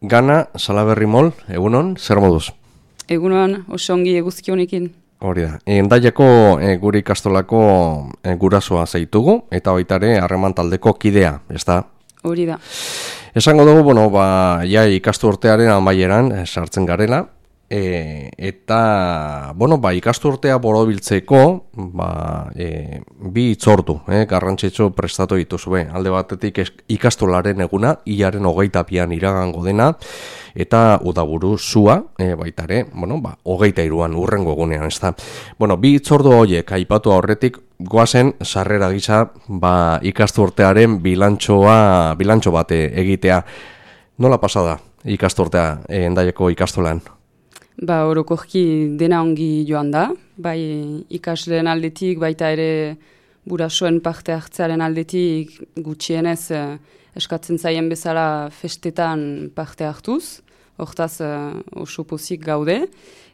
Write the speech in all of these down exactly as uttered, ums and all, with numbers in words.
Gana Salaberri Mol, egunon, zer moduz? Egunon, oso ongi eguzki honekin. Hori da, endaiako e, gure ikastolako e, gurasoa zeitugu, eta baita ere harreman taldeko kidea, ez da? Hori da. Esango dugu, bueno, ba, ja ikastu urtearen amaieran e, sartzen garela, e, eta, bueno, ba, ikastu urtea borobiltzeko, ba, e, bi itzordu, eh, garrantzitsu prestatu dituzue. Alde batetik ikastolaren eguna, hilaren hogeita bian iragango dena, eta udaburu zua, e, baita ere, bueno, ba, hogeita iruan urrengo egunean, ez da. Bueno, bi itzordu horiek aipatu aurretik, goazen sarrera gisa, ba, ikastu urtearen bilantxoa, bilantxo bate egitea. Nola pasada ikastu urtea e, endaiako ikastolan? Ba, orokorki dena ongi joan da, bai ikasleen aldetik, baita ere burasoen parte hartzearen aldetik gutxienez eh, eskatzen zaien bezala festetan parte hartuz, hortaz eh, oso pozik gaude,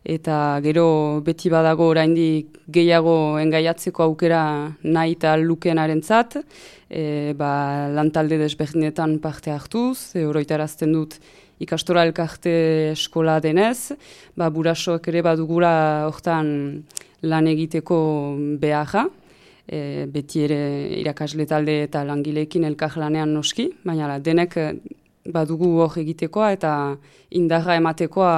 eta gero beti badago oraindik gehiago engaiatzeko aukera nahi eta lukenarentzat, e, ba, lantalde desberdinetan parte hartuz, e, oroitarazten dut ikastora elkarte eskola denez, ba, burasoak ere badugula hortan lan egiteko beharra, e, beti ere irakasle talde eta langileekin elkar lanean noski, baina denek badugu hor egitekoa eta indarra ematekoa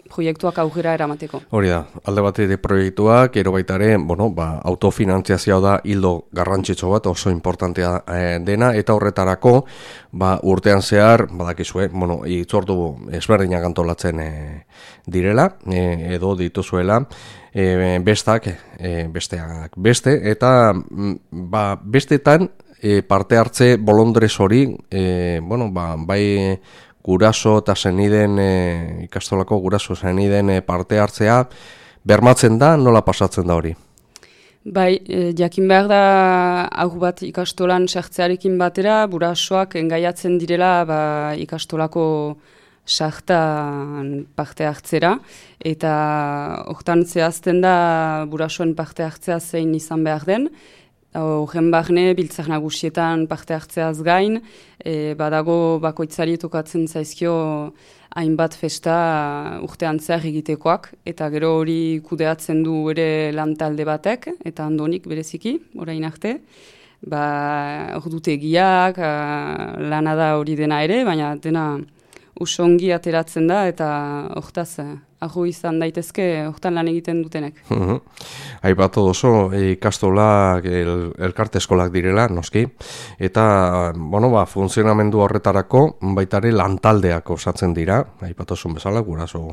proiektuak aurrera eramateko. Hori da, alde batetik proiektuak, ero baita ere, bueno, ba, autofinantziazioa da hildo garrantzitsu bat, oso importantea e, dena, eta horretarako, ba, urtean zehar, badakizue, bueno, itzordu ezberdinak antolatzen e, direla, e, edo dituzuela, e, bestak, e, besteak beste, eta ba, bestetan e, parte hartze bolondrez hori, e, bueno, ba, bai, guraso eta zeniden, e, ikastolako guraso zeniden e, parte hartzea, bermatzen da, nola pasatzen da hori? Bai, e, jakin behar da, hau bat ikastolan sartzearekin batera, burasoak engaiatzen direla ba, ikastolako sartan parte hartzera, eta hortan zehazten da burasoen parte hartzea zein izan behar den, horren barne, biltzar nagusietan parte hartzeaz gain, e, badago bakoitzari tokatzen zaizkio hainbat festa urtean zehar egitekoak, eta gero hori kudeatzen du ere lantalde batek, eta andonik bereziki, orain arte. Ba, ordutegiak, lana da hori dena ere, baina dena usongi ateratzen da, eta hortaz, aho izan daitezke, hortan lan egiten dutenek. Aipatu oso, ikastolak, el, elkarte eskolak direla, noski, eta, bueno, ba, funtzionamendu horretarako, baitare lantaldeak osatzen dira, aipatu zuen bezala, guraso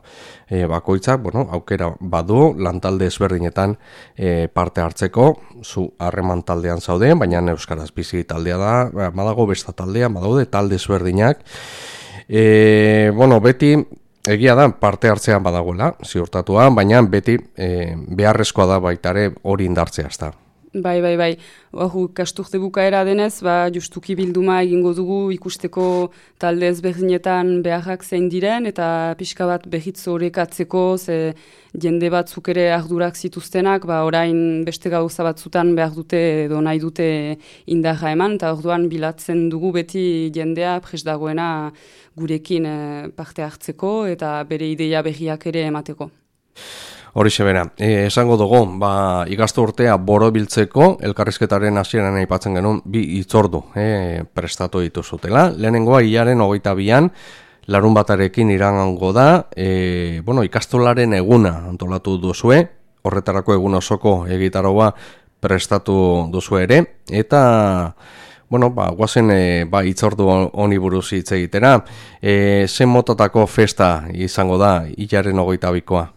e, bakoitzak, bueno, aukera badu, lantalde ezberdinetan e, parte hartzeko, zu harreman taldean zaude, baina euskaraz bizi taldea da, badago besta taldea, badaude talde ezberdinak, e, bueno, beti, egia da, parte hartzean badagoela, ziurtatua, baina beti e, beharrezkoa da baitare hori indartzea, ezta. Bai, bai, bai. Hor, kasturte bukaera denez, ba, justuki bilduma egingo dugu ikusteko talde ezberdinetan beharrak zein diren, eta pixka bat behitz horrekatzeko, ze jende batzuk ere ardurak zituztenak, ba, orain beste gauza batzutan behar dute edo nahi dute indarra eman, eta orduan bilatzen dugu beti jendea prest dagoena gurekin parte hartzeko, eta bere ideia berriak ere emateko. Horixe bera, e, esango dugu, ba, ikastu urtea borobiltzeko, elkarrizketaren hasieran aipatzen genuen, bi itzordu e, prestatu dituzutela. Lehenengoa, hilaren hogeita bian, larun batarekin iragango da, e, bueno, ikastolaren eguna antolatu duzue, horretarako egun osoko egitaroa prestatu duzu ere, eta bueno, ba, guazen e, ba, itzordu honi buruz hitz egitera, e, zen motatako festa izango da, hilaren hogeita bikoa?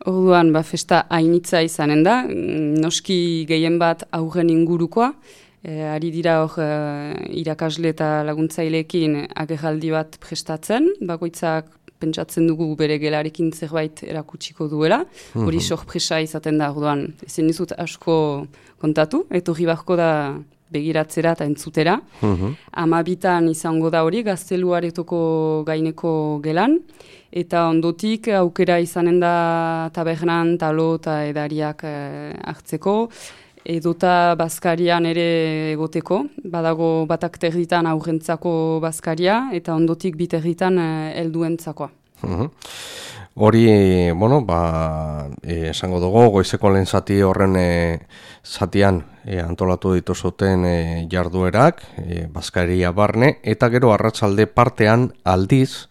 Orduan, ba, festa hainitza izanen da, noski gehien bat aurren ingurukoa, e, ari dira hor e, irakasle eta laguntzaileekin agerraldi bat prestatzen, bakoitzak pentsatzen dugu bere gelarekin zerbait erakutsiko duela, hori mm-hmm. sorpresa izaten da, orduan, ezin dizut asko kontatu, etorri barko da begiratzera eta entzutera. Mm-hmm. Amabitan izango da hori, gazteluaretoko gaineko gelan, eta ondotik aukera izanen da tabernan, talo eta edariak eh, hartzeko, edota bazkarian ere egoteko, badago batak terditan aurrentzako bazkaria, eta ondotik biterditan helduentzakoa. Uh-huh. Hori, bueno, ba, e, esango dugu, goizeko lehen zati horren e, zatian e, antolatu dituzuten e, jarduerak, e, bazkaria barne, eta gero arratsalde partean aldiz,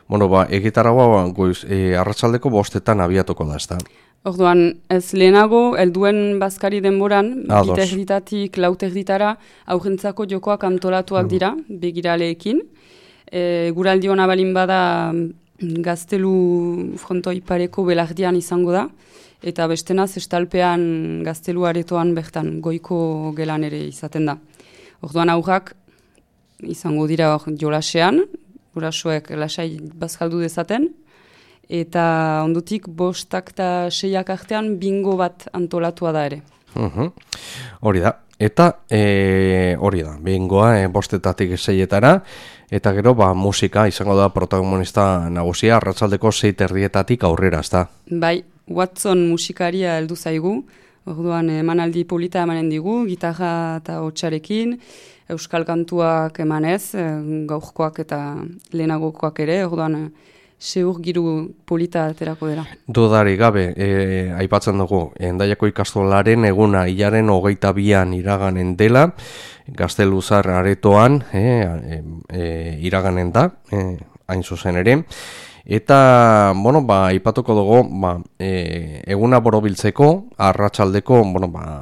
bueno, ba, egitarragoa goiz, e, arratsaldeko bostetan abiatuko da, ezta? Orduan, ez lehenago, helduen bazkari denboran, biterditatik lauterditara, aurrentzako jokoak antolatuak dira, mm. begiraleekin. E, guraldi hona balin bada gaztelu frontoi pareko belardian izango da, eta bestenaz estalpean gaztelu aretoan bertan goiko gelan ere izaten da. Orduan aurrak izango dira hor jolasean, gurasoek lasai bazkaldu dezaten, eta ondotik bostak eta seiak artean bingo bat antolatua da ere. Uh-huh. Hori da. Eta e, hori da, bingoa e, bostetatik seietara, eta gero ba, musika izango da protagonista nagusia arratsaldeko sei terdietatik aurrera, ezta? Bai, Watson musikaria heldu zaigu, orduan emanaldi polita emanen digu, gitarra eta hotsarekin, euskal kantuak emanez, gaurkoak eta lehenagokoak ere, orduan seur giru polita aterako dela. Dudari gabe, e, aipatzen dugu, Hendaiako ikastolaren eguna hilaren hogeita bian iraganen dela, Gazteluzar aretoan e, e, e, iraganen da, e, hain zuzen ere, eta, bueno, ba, aipatuko dugu, ba, e, eguna borobiltzeko, arratsaldeko, bueno, ba,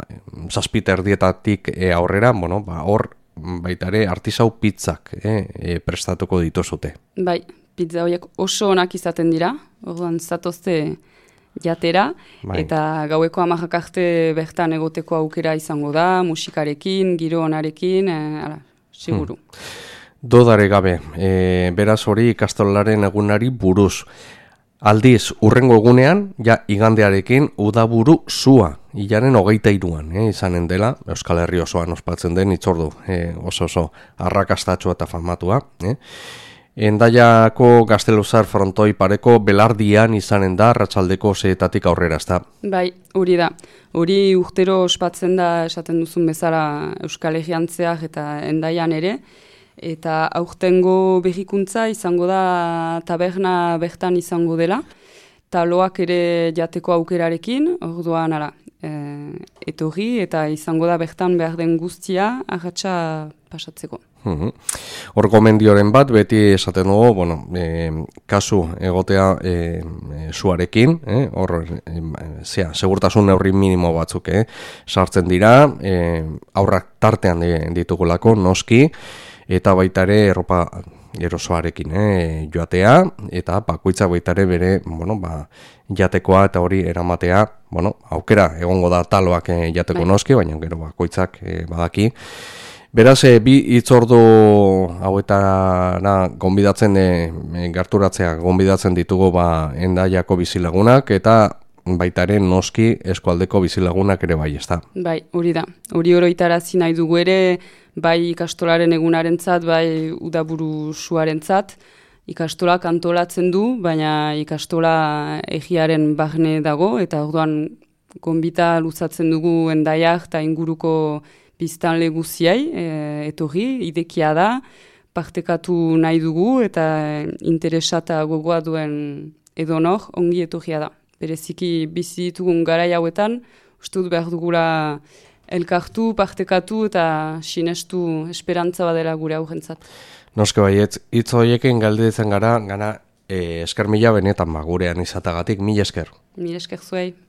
zazpiter dietatik e, aurrera, bueno, ba, hor, baitare, artisau pizzak e, e, prestatuko dituzute. Bai, pizza horiek oso onak izaten dira, orduan zatozte jatera, bai. Eta gaueko hamarrak arte bertan egoteko aukera izango da, musikarekin, giro onarekin, e, ala, seguru. Hmm. Dodare gabe, e, beraz hori ikastolaren egunari buruz. Aldiz, urrengo egunean, ja igandearekin, udaburu zua, hilaren hogeita iruan, eh, izanen dela, Euskal Herri osoan ospatzen den itzordu, eh, oso oso arrakastatxua eta famatua, eh. Hendaiako Gazteluzar frontoi pareko belardian izanen da arratsaldeko seetatik aurrera, ezta? Bai, hori da. Hori urtero ospatzen da esaten duzun bezala Euskal Herrian zehar eta Hendaian ere, eta aurtengo berrikuntza izango da taberna bertan izango dela, taloak ere jateko aukerarekin, orduan ara, e, etorri eta izango da bertan behar den guztia arratsa pasatzeko. Hor uh-huh. gomendioren bat, beti esaten dugu, bueno, e, kasu egotea e, e, zuarekin, eh? Hor, e, zea, segurtasun neurri minimo batzuk, eh? Sartzen dira, e, aurrak tartean ditugulako, noski, eta baita ere erropa erosoarekin eh, joatea, eta bakoitzak baita ere bere, bueno, ba, jatekoa eta hori eramatea, bueno, aukera egongo da taloak eh, jateko bai. Noski, baina gero bakoitzak eh, badaki. Beraz, e, bi hitzordu hauetara gonbidatzen e, gerturatzea gonbidatzen ditugu ba Hendaiako bizilagunak eta baita ere noski eskualdeko bizilagunak ere bai, ezta. Bai, hori da. Hori oroitarazi nahi dugu ere, bai ikastolaren egunarentzat, bai udaburu suarentzat. Ikastolak antolatzen du, baina ikastola egiaren barne dago eta orduan gonbita luzatzen dugu Hendaiak eta inguruko biztanle guziai, e, etorri, idekia da, partekatu nahi dugu eta interesata gogoa duen edonor ongi etorria da. Bereziki bizi ditugun garai hauetan, uste dut behar dugula elkartu, partekatu eta sinestu esperantza badela gure aurrentzat. Noske baietz, hitz horiekin galdetzen gara, gana e, esker mila benetan ba, gurean izatagatik, mila esker. Mila esker zuei.